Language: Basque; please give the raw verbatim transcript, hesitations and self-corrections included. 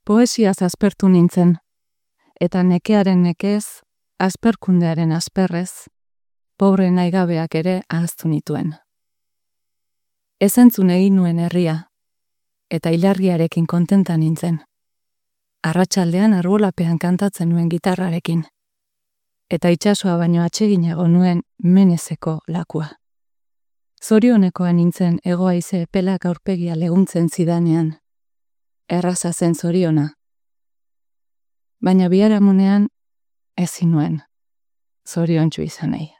Poesiaz aspertu nintzen, eta nekearen nekez, asperkundearen asperrez, pobre naigabeak ere ahaztu nituen. Ezentzun egin nuen herria, eta ilargiarekin kontenta nintzen. Arratsaldean arbolapean kantatzen nuen gitarrarekin, eta itsasoa baino atseginago nuen menezeko lakua. Zorionekoa nintzen hego-haize epelak aurpegia leguntzen zidanean, erraza zen zoriona. Baina biharamunean ezin nuen zoriontsu izan nahi.